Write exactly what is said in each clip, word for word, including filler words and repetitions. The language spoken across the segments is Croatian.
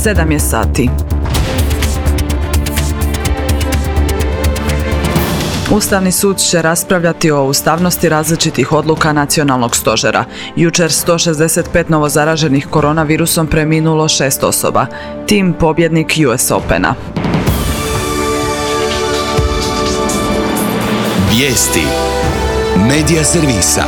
sedam je sati. Ustavni sud će raspravljati o ustavnosti različitih odluka nacionalnog stožera. Jučer sto šezdeset pet novozaraženih koronavirusom preminulo šest osoba. Tim pobjednik U S Opena. Vijesti Medija servisa.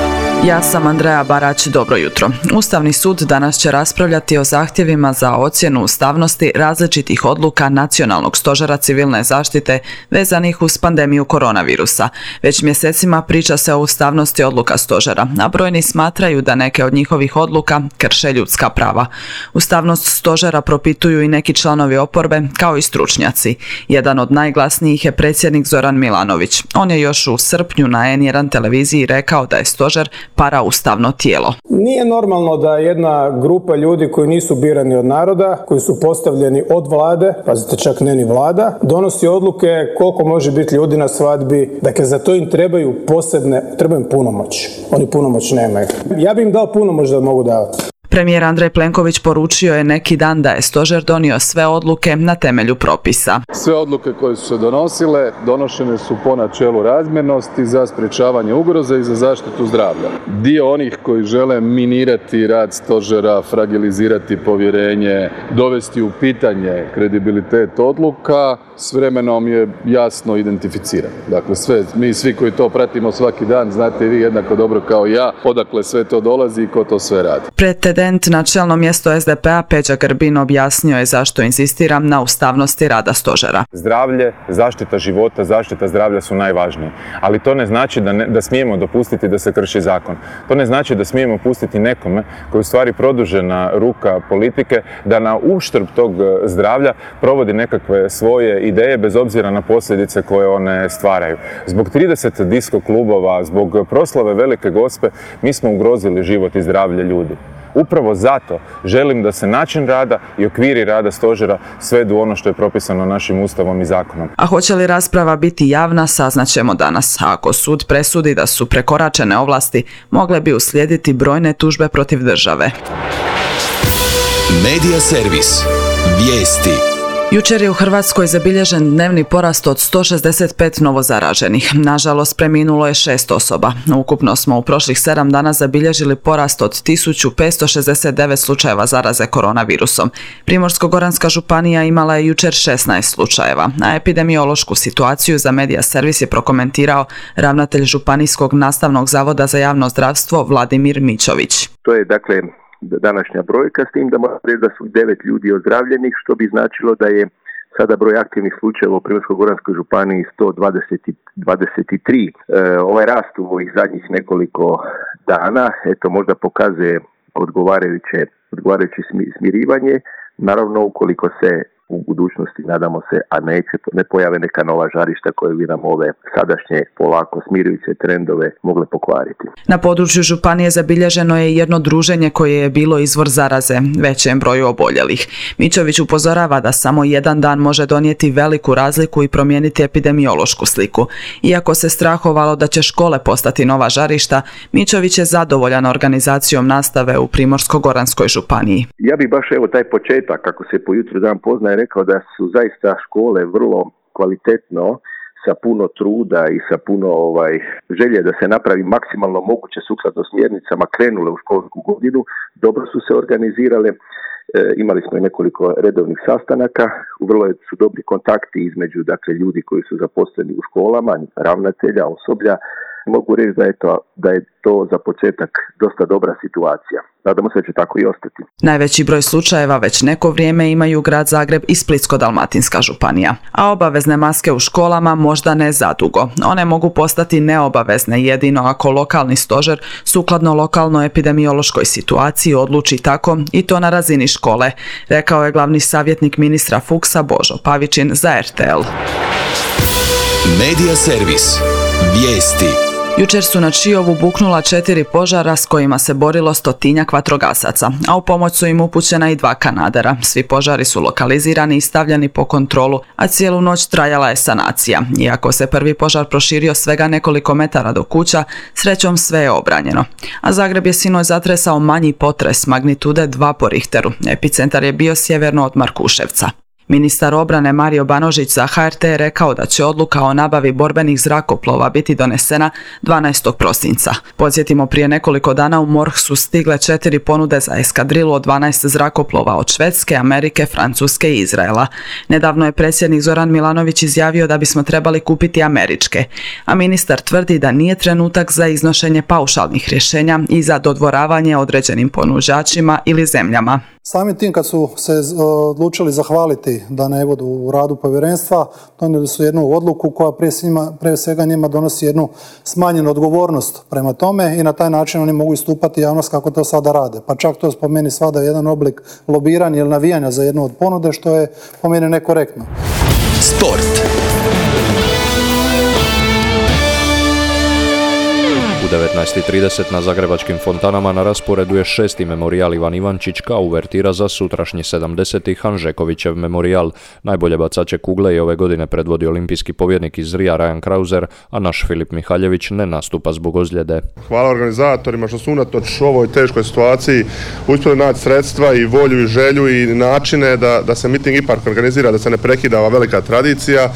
Ja sam Andreja Barać, dobro jutro. Ustavni sud danas će raspravljati o zahtjevima za ocjenu ustavnosti različitih odluka Nacionalnog stožera civilne zaštite vezanih uz pandemiju koronavirusa. Već mjesecima priča se o ustavnosti odluka stožera, a brojni smatraju da neke od njihovih odluka krše ljudska prava. Ustavnost stožera propituju i neki članovi oporbe, kao i stručnjaci. Jedan od najglasnijih je predsjednik Zoran Milanović. On je još u srpnju na N jedan televiziji rekao da je stožer paraustavno tijelo. Nije normalno da jedna grupa ljudi koji nisu birani od naroda, koji su postavljeni od vlade, pazite čak ne ni vlada, donosi odluke koliko može biti ljudi na svadbi. Dakle, za to im trebaju posebne, trebaju punomoć. Oni punomoć nemaju. Ja bi im dao punomoć da mogu davati. Premijer Andrej Plenković poručio je neki dan da je stožer donio sve odluke na temelju propisa. Sve odluke koje su se donosile, donošene su po načelu razmjernosti za sprječavanje ugroze i za zaštitu zdravlja. Dio onih koji žele minirati rad stožera, fragilizirati povjerenje, dovesti u pitanje kredibilitet odluka, s vremenom je jasno identificiran. Dakle, sve, mi svi koji to pratimo svaki dan, znate i vi jednako dobro kao ja, odakle sve to dolazi i ko to sve radi. Pretendent na čelno mjesto S D P-a Peđa Grbin objasnio je zašto insistira na ustavnosti rada stožera. Zdravlje, zaštita života, zaštita zdravlja su najvažnije. Ali to ne znači da, ne, da smijemo dopustiti da se krši zakon. To ne znači da smijemo pustiti nekome koji u stvari produžena ruka politike da na uštrb tog zdravlja provodi nekakve svoje ideje bez obzira na posljedice koje one stvaraju. Zbog trideset disko klubova, zbog proslave Velike Gospe, mi smo ugrozili život i zdravlje ljudi. Upravo zato želim da se način rada i okviri rada stožera svedu ono što je propisano našim ustavom i zakonom. A hoće li rasprava biti javna, saznaćemo danas. A ako sud presudi da su prekoračene ovlasti, mogle bi uslijediti brojne tužbe protiv države. Medija servis. Vijesti. Jučer je u Hrvatskoj zabilježen dnevni porast od sto šezdeset pet novozaraženih. Nažalost, preminulo je šest osoba. Ukupno smo u prošlih sedam dana zabilježili porast od tisuću petsto šezdeset devet slučajeva zaraze koronavirusom. Primorsko-goranska županija imala je jučer šesnaest slučajeva, a epidemiološku situaciju za Medija servis je prokomentirao ravnatelj Županijskog nastavnog zavoda za javno zdravstvo Vladimir Mićović. To je dakle današnja brojka, s tim da moram reći da su devet ljudi ozdravljenih, što bi značilo da je sada broj aktivnih slučajeva u Primorsko-goranskoj županiji sto dvadeset tri. E, ovaj rast u ovih zadnjih nekoliko dana, eto, možda pokazuje odgovarajuće, odgovarajuće smirivanje, naravno ukoliko se u budućnosti, nadamo se, a neće, ne pojave neka nova žarišta koje bi nam ove sadašnje polako smirujuće trendove mogle pokvariti. Na području županije zabilježeno je jedno druženje koje je bilo izvor zaraze, većem broju oboljelih. Mićović upozorava da samo jedan dan može donijeti veliku razliku i promijeniti epidemiološku sliku. Iako se strahovalo da će škole postati nova žarišta, Mićović je zadovoljan organizacijom nastave u Primorsko-goranskoj županiji. Ja bih baš evo taj početak, kako se po jutru dan pozna, rekao da su zaista škole vrlo kvalitetno, sa puno truda i sa puno ovaj, želje da se napravi maksimalno moguće sukladno smjernicama krenule u školsku godinu. Dobro su se organizirale, e, imali smo i nekoliko redovnih sastanaka, vrlo su dobri kontakti između dakle, ljudi koji su zaposleni u školama, ravnatelja, osoblja. Mogu reći da je, to, da je to za početak dosta dobra situacija. Nadamo se da će tako i ostati. Najveći broj slučajeva već neko vrijeme imaju grad Zagreb i Splitsko-dalmatinska županija. A obavezne maske u školama možda ne zadugo. One mogu postati neobavezne jedino ako lokalni stožer sukladno lokalnoj epidemiološkoj situaciji odluči tako i to na razini škole, rekao je glavni savjetnik ministra Fuchsa Božo Pavičin za R T L. Medija servis. Vijesti. Jučer su na Čiovu buknula četiri požara s kojima se borilo stotinjak vatrogasaca, a u pomoć su im upućena i dva kanadera. Svi požari su lokalizirani i stavljeni po kontrolu, a cijelu noć trajala je sanacija. Iako se prvi požar proširio svega nekoliko metara do kuća, srećom sve je obranjeno. A Zagreb je sinoć zatresao manji potres magnitude dva po Richteru. Epicentar je bio sjeverno od Markuševca. Ministar obrane Mario Banožić za H R T je rekao da će odluka o nabavi borbenih zrakoplova biti donesena dvanaestog prosinca. Podsjetimo, prije nekoliko dana u MORH su stigle četiri ponude za eskadrilu od dvanaest zrakoplova od Švedske, Amerike, Francuske i Izraela. Nedavno je predsjednik Zoran Milanović izjavio da bismo trebali kupiti američke, a ministar tvrdi da nije trenutak za iznošenje paušalnih rješenja i za dodvoravanje određenim ponuđačima ili zemljama. Samim tim kad su se odlučili zahvaliti da ne budu u radu povjerenstva, donijeli su jednu odluku koja prije, svima, prije svega njima donosi jednu smanjenu odgovornost prema tome i na taj način oni mogu istupati javnost kako to sada rade. Pa čak to po meni svada jedan oblik lobiranja ili navijanja za jednu od ponude, što je po meni nekorektno. Sport. U devetnaest i trideset na zagrebačkim fontanama na rasporedu je šesti memorijal Ivan Ivančić kao uvertira za sutrašnji sedamdeseti Hanžekovićev memorijal. Najbolje bacače kugle i ove godine predvodi olimpijski pobjednik iz Rija Rajan Krauzer, a naš Filip Mihaljević ne nastupa zbog ozljede. Hvala organizatorima što su unatoč ovoj teškoj situaciji uspjeli naći sredstva i volju i želju i načine da, da se miting ipak organizira, da se ne prekida ova velika tradicija.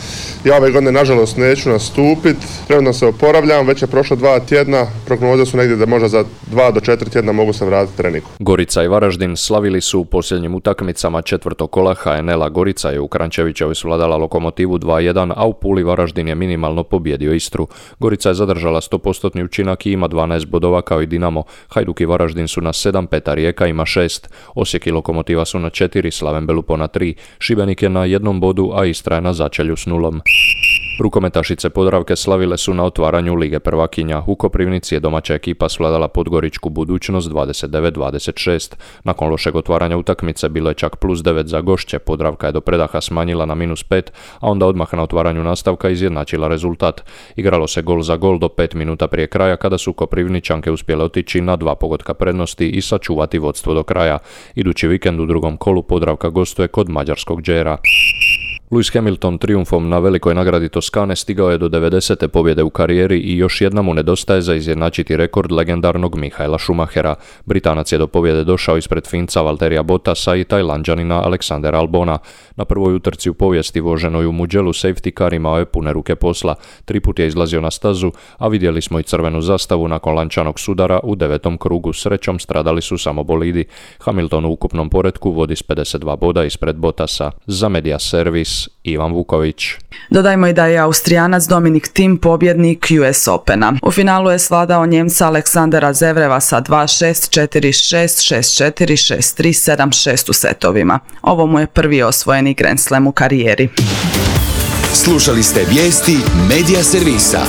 Ja ove godine nažalost neću nastupiti, trenutno se oporavljam, već je prošlo dva tjedna. Prognoze su negdje da možda za dva do četiri tjedna mogu se vratiti treningu. Gorica i Varaždin slavili su u posljednjim utakmicama četvrtog kola H N L-a. Gorica je u Krančevićevoj svladala Lokomotivu dva jedan, a u Puli Varaždin je minimalno pobjedio Istru. Gorica je zadržala sto posto učinak i ima dvanaest bodova kao i Dinamo. Hajduk i Varaždin su na sedam, Peta Rijeka ima šest. Osijek i Lokomotiva su na četiri, Slaven Belupo na tri. Šibenik je na jednom bodu, a Istra je na začelju s nulom. Rukometašice Podravke slavile su na otvaranju Lige prvakinja. U Koprivnici je domaća ekipa svladala Podgoričku Budućnost dvadeset devet dvadeset šest. Nakon lošeg otvaranja utakmice bilo je čak plus devet za gošće. Podravka je do predaha smanjila na minus pet, a onda odmah na otvaranju nastavka izjednačila rezultat. Igralo se gol za gol do pet minuta prije kraja kada su Koprivničanke uspjele otići na dva pogotka prednosti i sačuvati vodstvo do kraja. Idući vikend u drugom kolu Podravka gostuje kod mađarskog Đera. Lewis Hamilton trijumfom na velikoj nagradi Toskane stigao je do devedesete pobjede u karijeri i još jedna mu nedostaje za izjednačiti rekord legendarnog Michaela Schumachera. Britanac je do pobjede došao ispred Finca Valterija Bottasa i Tajlanđanina Aleksandera Albona. Na prvoj utrci u povijesti voženoj u Mugellu safety car imao je pune ruke posla. Tri put je izlazio na stazu, a vidjeli smo i crvenu zastavu nakon lančanog sudara u devetom krugu. Srećom stradali su samo bolidi. Hamilton u ukupnom poretku vodi s pedeset dva boda ispred Bottasa. Za Media Servis Ivan Vuković. Dodajmo i da je Austrijanac Dominik Thiem pobjednik U S Opena. U finalu je svladao Njemca Aleksandera Zevreva sa dva šest, četiri šest, šest četiri, šest tri, sedam šest u setovima. Ovo mu je prvi osvojeni Grand Slam u karijeri. Slušali ste vijesti Media Servisa.